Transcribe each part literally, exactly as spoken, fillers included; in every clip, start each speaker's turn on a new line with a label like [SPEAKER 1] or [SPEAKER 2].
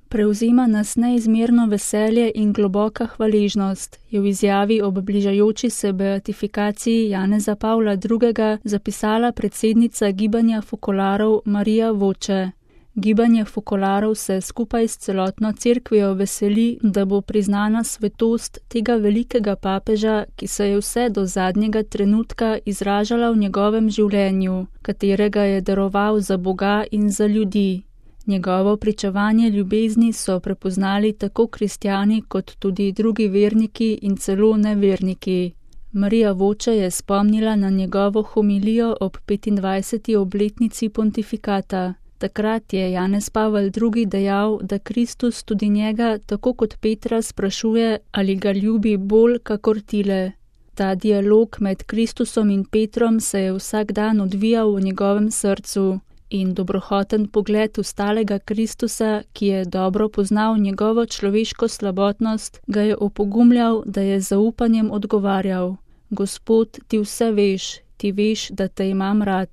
[SPEAKER 1] Prevzema nas neizmerno veselje in globoka hvaležnost, je v izjavi ob bližajoči se beatifikaciji Janeza Pavla drugega zapisala predsednica gibanja fokolarov Marija Voče. Gibanje fokolarov se skupaj s celotno cerkvijo veseli, da bo priznana svetost tega velikega papeža, ki se je vse do zadnjega trenutka izražala v njegovem življenju, katerega je daroval za Boga in za ljudi. Njegovo pričevanje ljubezni so prepoznali tako kristjani kot tudi drugi verniki in celo neverniki. Marija Voče je spomnila na njegovo homilijo ob petindvajseti obletnici pontifikata. Takrat je Janez Pavel drugi dejal, da Kristus tudi njega, tako kot Petra, sprašuje, ali ga ljubi bolj kakor tile. Ta dialog med Kristusom in Petrom se je vsak dan odvijal v njegovem srcu in dobrohoten pogled ustalega Kristusa, ki je dobro poznal njegovo človeško slabotnost, ga je opogumljal, da je z zaupanjem odgovarjal: Gospod, ti vse veš, ti veš, da te imam rad.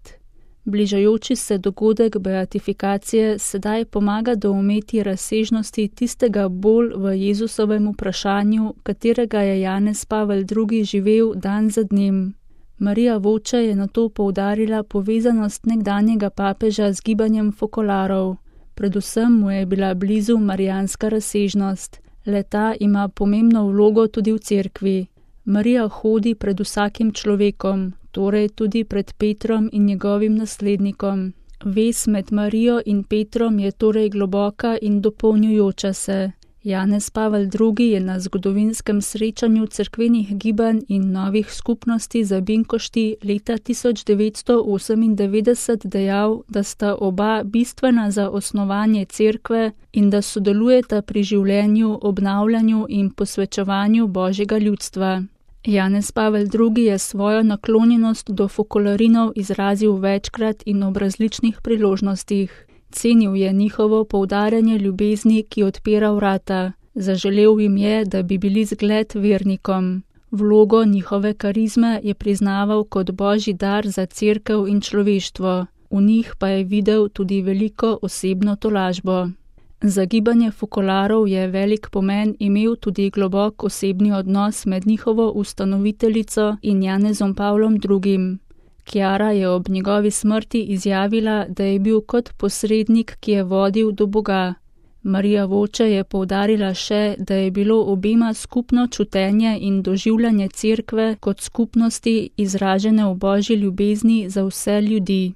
[SPEAKER 1] Bližajoči se dogodek beatifikacije sedaj pomaga doumeti razsežnosti tistega bolj v Jezusovem vprašanju, katerega je Janez Pavel drugi živel dan za dnem. Marija Voče je nato poudarila povezanost nekdanjega papeža z gibanjem fokolarov. Predvsem mu je bila blizu marijanska razsežnost. Le-ta ima pomembno vlogo tudi v cerkvi. Marija hodi pred vsakim človekom, torej tudi pred Petrom in njegovim naslednikom. Vez med Marijo in Petrom je torej globoka in dopolnjujoča se. Janez Pavel drugi je na zgodovinskem srečanju cerkvenih gibanj in novih skupnosti za Binkošti leta tisoč devetsto osemindevetdeset dejal, da sta oba bistvena za osnovanje cerkve in da sodelujeta pri življenju, obnavljanju in posvečevanju Božjega ljudstva. Janez Pavel drugi je svojo naklonjenost do fokolarinov izrazil večkrat in ob različnih priložnostih. Cenil je njihovo poudarjanje ljubezni, ki odpira vrata. Zaželel jim je, da bi bili zgled vernikom. Vlogo njihove karizme je priznaval kot božji dar za cerkev in človeštvo. V njih pa je videl tudi veliko osebno tolažbo. Za gibanje fokolarov je velik pomen imel tudi globok osebni odnos med njihovo ustanoviteljico in Janezom Pavlom drugim. Kjara je ob njegovi smrti izjavila, da je bil kot posrednik, ki je vodil do Boga. Marija Voče je poudarila še, da je bilo obema skupno čutenje in doživljanje cerkve kot skupnosti izražene v božji ljubezni za vse ljudi.